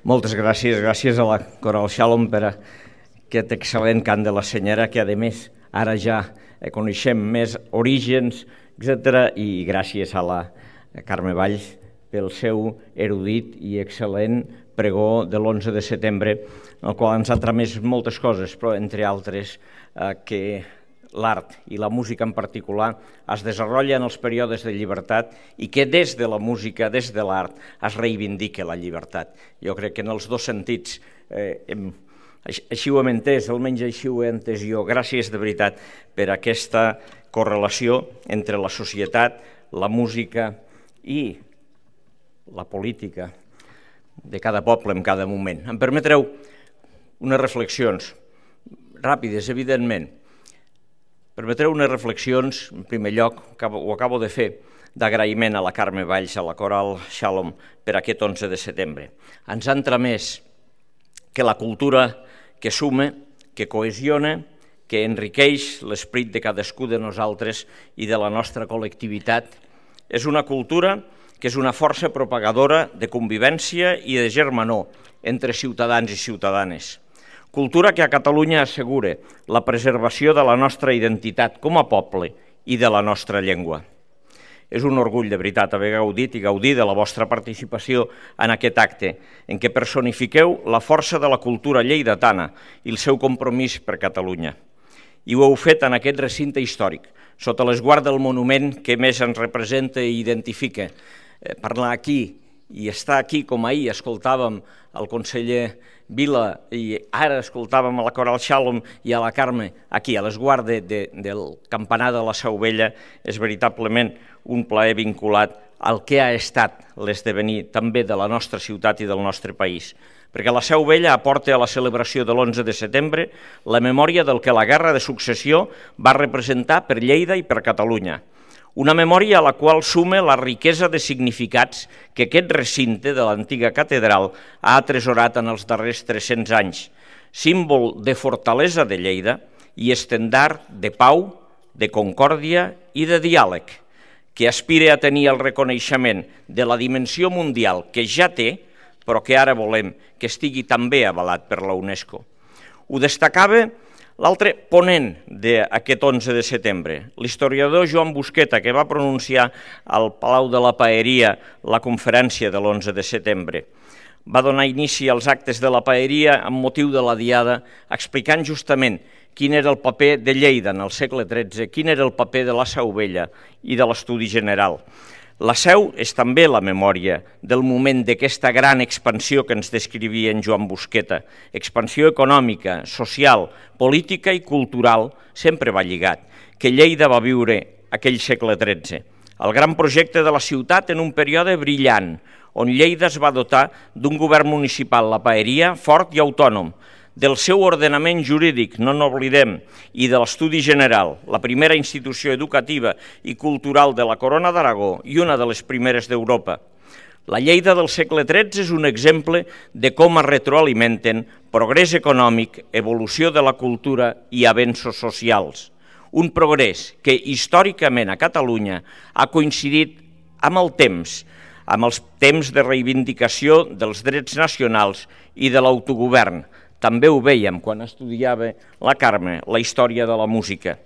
Moltes gràcies, gràcies a la Coral Shalom per aquest excel·lent cant de la senyora, que a més ara ja coneixem més orígens, etc. I gràcies a la Carme Valls pel seu erudit i excel·lent pregó de l'11 de setembre, el qual ens ha tramès moltes coses, però entre altres que l'art i la música en particular es desenvolupa en els períodes de llibertat i que des de la música, des de l'art, es reivindica la llibertat. Jo crec que en els dos sentits, així ho hem entès, almenys així ho he entès jo. Gràcies de veritat per aquesta correlació entre la societat, la música i la política de cada poble en cada moment. Em permetreu unes reflexions ràpides, evidentment. Permetreu unes reflexions, en primer lloc, ho acabo de fer, d'agraïment a la Carme Valls, a la Coral Shalom, per aquest 11 de setembre. Ens han tramès que la cultura que suma, que cohesiona, que enriqueix l'esperit de cadascú de nosaltres i de la nostra col·lectivitat, és una cultura que és una força propagadora de convivència i de germanor entre ciutadans i ciutadanes. Cultura que a Catalunya assegura la preservació de la nostra identitat com a poble i de la nostra llengua. És un orgull de veritat haver gaudit i gaudir de la vostra participació en aquest acte, en què personifiqueu la força de la cultura lleidatana i el seu compromís per Catalunya. I ho heu fet en aquest recinte històric, sota l'esguard del monument que més ens representa i identifica. Parlar aquí i estar aquí, com ahir escoltàvem el conseller Vila i ara escoltàvem a la Coral Shalom i a la Carme aquí, a l'esguard del campanar de la Seu Vella, és veritablement un plaer vinculat al que ha estat l'esdevenir també de la nostra ciutat i del nostre país. Perquè la Seu Vella aporta a la celebració de l'11 de setembre la memòria del que la Guerra de Successió va representar per Lleida i per Catalunya. Una memòria a la qual suma la riquesa de significats que aquest recinte de l'antiga catedral ha atresorat en els darrers 300 anys, símbol de fortalesa de Lleida i estendard de pau, de concòrdia i de diàleg, que aspira a tenir el reconeixement de la dimensió mundial que ja té, però que ara volem que estigui també avalat per la UNESCO. Ho destacava l'altre ponent d'aquest 11 de setembre, l'historiador Joan Busqueta, que va pronunciar al Palau de la Paeria la conferència de l'11 de setembre. Va donar inici als actes de la Paeria amb motiu de la Diada, explicant justament quin era el paper de Lleida en el segle XIII, quin era el paper de la Seu Vella i de l'Estudi General. La Seu és també la memòria del moment d'aquesta gran expansió que ens descrivia en Joan Busqueta. Expansió econòmica, social, política i cultural sempre va lligat, que Lleida va viure aquell segle XIII. El gran projecte de la ciutat en un període brillant, on Lleida es va dotar d'un govern municipal, la Paeria, fort i autònom, del seu ordenament jurídic, no n'oblidem, i de l'Estudi General, la primera institució educativa i cultural de la Corona d'Aragó i una de les primeres d'Europa. La Lleida del segle XIII és un exemple de com es retroalimenten progrés econòmic, evolució de la cultura i avenços socials. Un progrés que històricament a Catalunya ha coincidit amb el temps, amb els temps de reivindicació dels drets nacionals i de l'autogovern. També ho vèiem quan estudiava la Carme, la història de la música.